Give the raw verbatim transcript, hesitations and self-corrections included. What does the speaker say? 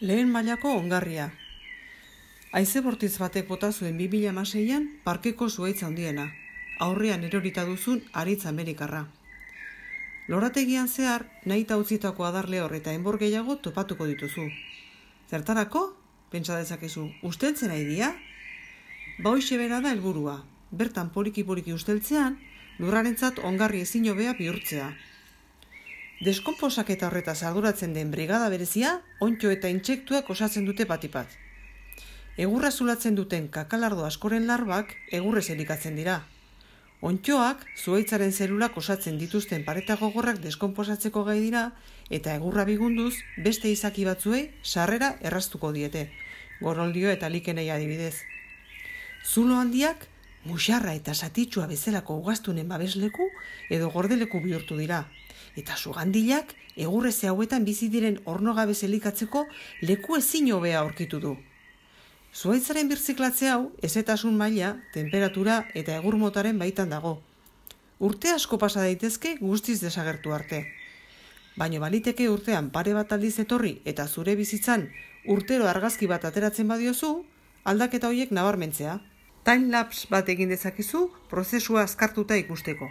Lehen mailako ongarria. Haize bortitz batek bota zuen bi mila hamaseian parkeko zuhaitz handiena, aurrean erorita duzun haritz amerikarra. Lorategian zehar, nahita utzitako adarle hor eta enbor gehiago topatuko dituzu. Zertarako? Pentsa dezakezu, usteltzen nahi dira? Ba hoixe bera da helburua, bertan poliki-poliki usteltzean, lurrarentzat ongarri ezin hobea bihurtzea. Deskonposaketa horretaz arduratzen den brigada berezia, onddo eta intsektuak osatzen dute batipat. Egurra zulatzen duten kakalardo askoren larbak egurrez elikatzen dira. Onddoak zuhaitzaren zelulak osatzen dituzten pareta gogorrak deskonposatzeko gai dira eta egurra bigunduz beste izaki batzuei sarrera erraztuko diete, goroldio eta likenei adibidez. Zulo handiak muxarra eta satitsua bezalako ugaztunen babesleku edo gordeleku bihurtu dira. Eta sugandilak egurreze hauetan bizi diren ornogabez elikatzeko leku ezin hobea aurkitu du. Zuhaitzaren birziklatze hau hezetasun maila, temperatura eta egur motaren baitan dago. Urte asko pasa daitezke guztiz desagertu arte. Baina baliteke urtean pare bat aldiz etorri eta zure bizitzan urtero argazki bat ateratzen badiozu, aldaketa horiek nabarmentzea. Time lapse bat egin dezakezu prozesua azkartuta ikusteko.